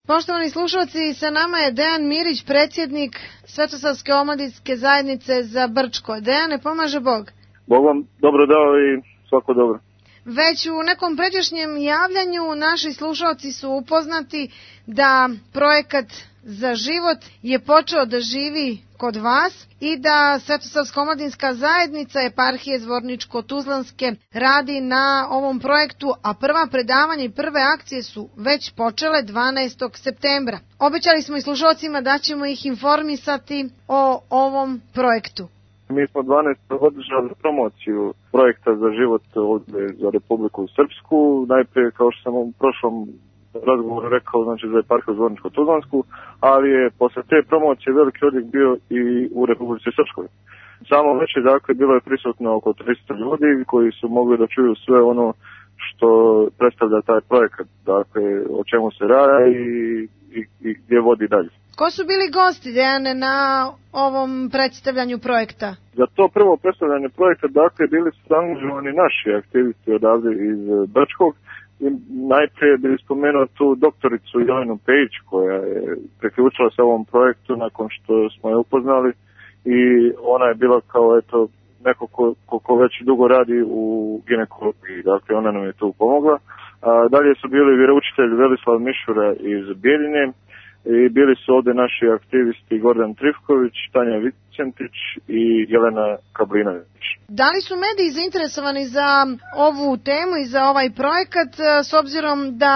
Poštovani slušalci, sa nama je Dejan Mirić, predsjednik Svetosavske omladinske zajednice za Brčko. Dejane, pomaže Bog. Bog vam dobro dao i svako dobro. Već u nekom pređašnjem javljanju naši slušalci su upoznati da projekat Za život je počeo da živi kod vas i da Svetosavska omladinska zajednica eparhije Zvorničko-Tuzlanske radi na ovom projektu, a prva predavanja i prve akcije su već počele 12. septembra. Obećali smo i slušalcima da ćemo ih informisati o ovom projektu. Mi smo 12. održali promociju projekta Za život za Republiku Srpsku. Najprije, kao što sam u prošlom razgovoru rekao, znači za eparhiju Zvorničko-Tuzlansku, ali je posle te promocije veliki odjek bio i u Republici Srpskoj. Samo već je, dakle, bilo je prisutno oko 300 ljudi koji su mogli da čuju sve ono što predstavlja taj projekat, dakle, o čemu se radi i gdje vodi dalje. Ko su bili gosti, Dejane, na ovom predstavljanju projekta? Za to prvo predstavljanje projekta, dakle, bili su angažovani naši aktivisti odavde iz Brčkog. I najprije bih spomenuo tu doktoricu Jelenu Pejić, koja je priključila se ovom projektu nakon što smo je upoznali i ona je bila kao neko ko već dugo radi u ginekologiji, dakle ona nam je tu pomogla. Dalje su bili vjeroučitelj Velislav Mišura iz Bijeljine i bili su ovdje naši aktivisti Gordan Trifković, Tanja Vicentić i Jelena Kablinović. Da li su mediji zainteresovani za ovu temu i za ovaj projekat, s obzirom da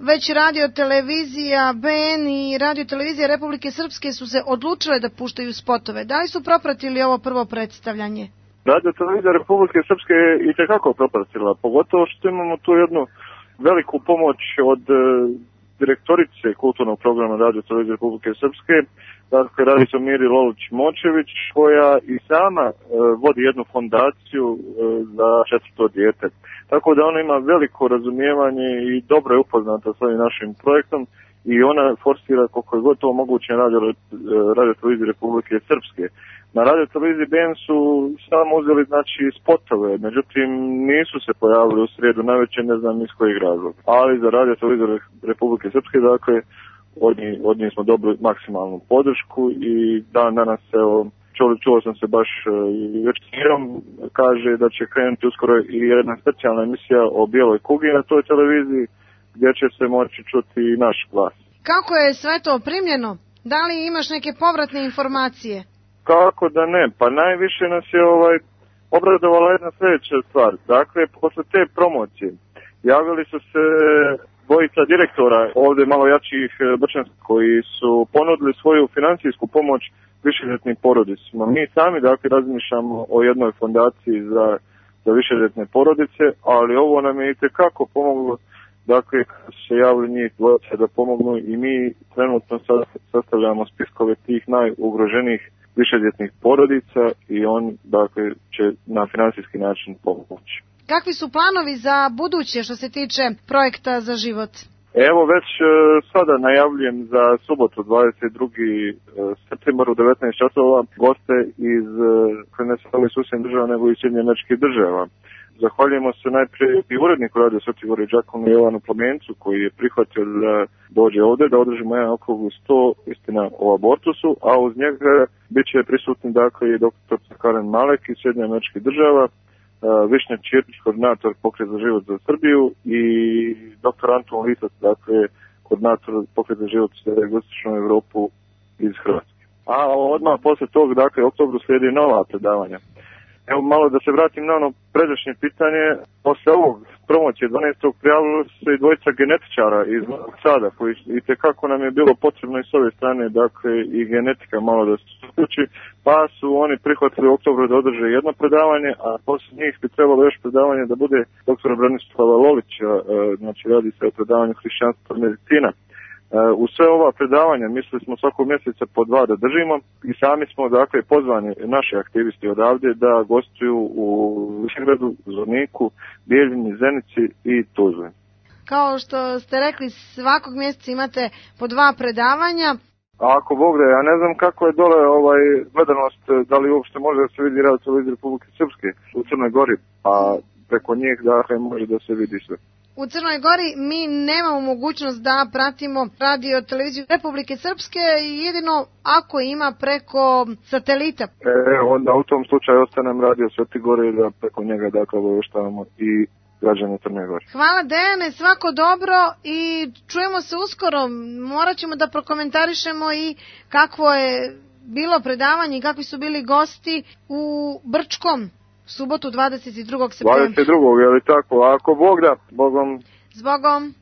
već radiotelevizija BN i radiotelevizija Republike Srpske su se odlučile da puštaju spotove? Da li su propratili ovo prvo predstavljanje? Radiotelevizija Republike Srpske je itekako propratila, pogotovo što imamo tu jednu veliku pomoć od direktorice kulturnog programa Radio-televizije Republike Srpske, dakle radi se o Miri Lolić-Močević, koja i sama vodi jednu fondaciju za 4. dijete. Tako da ona ima veliko razumijevanje i dobro je upoznata s ovim našim projektom i ona forsira koliko je gotovo moguće na Radio-televiziji Republike Srpske. Na Radio-televiziji BN su samo uzeli, znači, spotove, međutim nisu se pojavili u srijedu navečer, ne znam iz kojeg razloga. Ali za Radio-televiziju Republike Srpske, dakle, od njih smo dobili maksimalnu podršku i danas, evo, čuo sam se baš već kaže da će krenuti uskoro i jedna specijalna emisija o bijeloj kugi na toj televiziji, gdje će se moći čuti i naš glas. Kako je sve to primljeno? Da li imaš neke povratne informacije? Kako da ne, pa najviše nas je obradovala jedna sljedeća stvar. Dakle, posle te promocije javili su se dvojica direktora ovdje malo jačih brčanskih koji su ponudili svoju financijsku pomoć višedjetnim porodicima. Mi sami, dakle, razmišljamo o jednoj fondaciji za višedjetne porodice, ali ovo nam je itekako pomoglo, dakle, kad se javili njih dvojica da pomognu i mi trenutno sastavljamo spiskove tih najugroženijih višedjetnih porodica i on, dakle, će na financijski način pomoći. Kakvi su planovi za buduće što se tiče projekta Za život? Evo, već sada najavljujem za subotu 22. septembar u 19 časova goste iz ne samo iz susjednih država nego i Sjedinjenih Američkih Država. Zahvaljujemo se najprije i uredniku Radio Sveti Gori Đakonu Jovanu Plamencu koji je prihvatio da dođe ovdje, da održimo jedan okrugli sto, istina o abortusu, a uz njega bit će prisutni, dakle, i dr. Karen Malek iz Sjedinjenih Američkih Država, Višnja Čirpić, koordinator Pokret za život za Srbiju i dr. Anton Lisac, dakle, koordinator Pokret za život za Jugoistočnu Evropu iz Hrvatske. A odmah posle tog, dakle, oktobru slijedi nova predavanja. Evo malo da se vratim na ono pređašnje pitanje. Posle ovog promocije 12. prijavili su i dvojica genetičara iz Novog Sada, koji itekako nam je bilo potrebno i s ove strane, dakle, i genetika malo da se uključi, pa su oni prihvatili u oktobru da održe jedno predavanje, a posle njih bi trebalo još predavanje da bude dr. Branislava Lolića, znači radi se o predavanju hrišćanstva medicina. U sve ova predavanja mislili smo svakog mjeseca po 2 da držimo i sami smo, dakle, pozvani naši aktivisti odavdje da gostuju u Višegradu, Zvorniku, Bijeljini, Zenici i Tuzli. Kao što ste rekli, svakog mjeseca imate po 2 predavanja. A ako Bog da, ja ne znam kako je dole gledanost, da li uopšte može da se vidi Radio-televizija Republike Srpske u Crnoj Gori, a preko njih, dakle, može da se vidi sve. u Crnoj Gori mi nemamo mogućnost da pratimo radio televiziju Republike Srpske, jedino ako ima preko satelita. Onda u tom slučaju ostanem radio Sveti Gore da preko njega dakle obaveštavamo i građane Crne Gore. Hvala Dejane, svako dobro i čujemo se uskoro. Morat ćemo da prokomentarišemo i kakvo je bilo predavanje i kakvi su bili gosti u Brčkom subotu 22. septembra. 22. je li tako? A ako Bog da, Bogom. Zbogom.